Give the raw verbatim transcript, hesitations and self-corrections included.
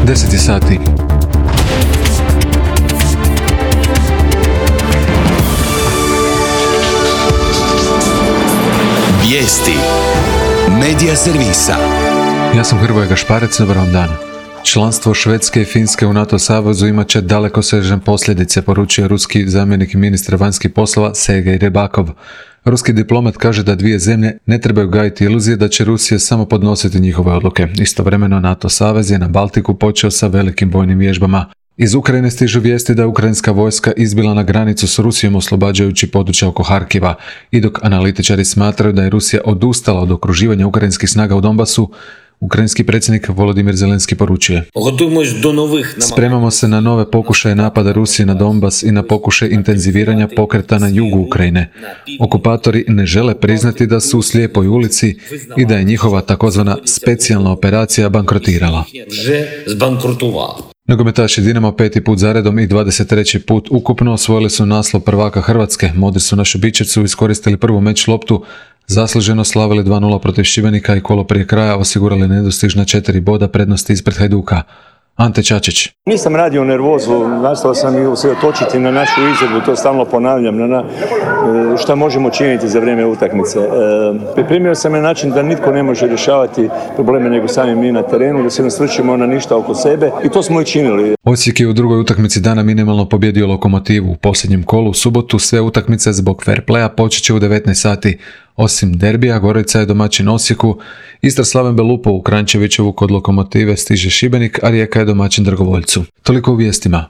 deset je sati. Vijesti Medija servisa. Ja sam Hrvoje Gašparec, dobar vam dan. Članstvo Švedske i Finske u NATO savezu imat će dalekosežne posljedice, poručuje ruski zamjenik ministra vanjskih poslova Sergej Rebakov. Ruski diplomat kaže da dvije zemlje ne trebaju gajiti iluzije da će Rusija samo podnositi njihove odluke. Istovremeno NATO savez je na Baltiku počeo sa velikim vojnim vježbama. Iz Ukrajine stižu vijesti da je ukrajinska vojska izbila na granicu s Rusijom oslobađajući područja oko Harkiva. I dok analitičari smatraju da je Rusija odustala od okruživanja ukrajinskih snaga u Donbasu, ukrajinski predsjednik Volodimir Zelenski poručuje: Spremamo se na nove pokušaje napada Rusije na Donbas i na pokušaj intenziviranja pokreta na jugu Ukrajine. Okupatori ne žele priznati da su u slijepoj ulici i da je njihova takozvana specijalna operacija bankrotirala. Nogometaši Dinama peti put zaredom i dvadeset treći put ukupno osvojili su naslov prvaka Hrvatske. Modri su na Šubićevcu iskoristili prvu meč loptu, zasluženo slavili dva nula protiv Šibenika i kolo prije kraja osigurali nedostižna četiri boda prednosti ispred Hajduka. Ante Čačić. Nisam radio nervozu, nastao sam i usredotočiti na našu izvedbu, to stalno ponavljam, na, na šta možemo činiti za vrijeme utakmice. E, pripremio sam na način da nitko ne može rješavati probleme nego sami mi na terenu, da se ne svrćemo na ništa oko sebe i to smo i činili. Osijek je u drugoj utakmici dana minimalno pobjedio Lokomotivu. U posljednjem kolu u subotu sve utakmice zbog fair playa počet će u devetnaest sati. Osim derbija, Gorica je domaćin Osijeku, Istra Slaven Belupo u Kranjčevićevu kod Lokomotive stiže Šibenik, a Rijeka je domaćin Dragovoljcu. Toliko u vijestima.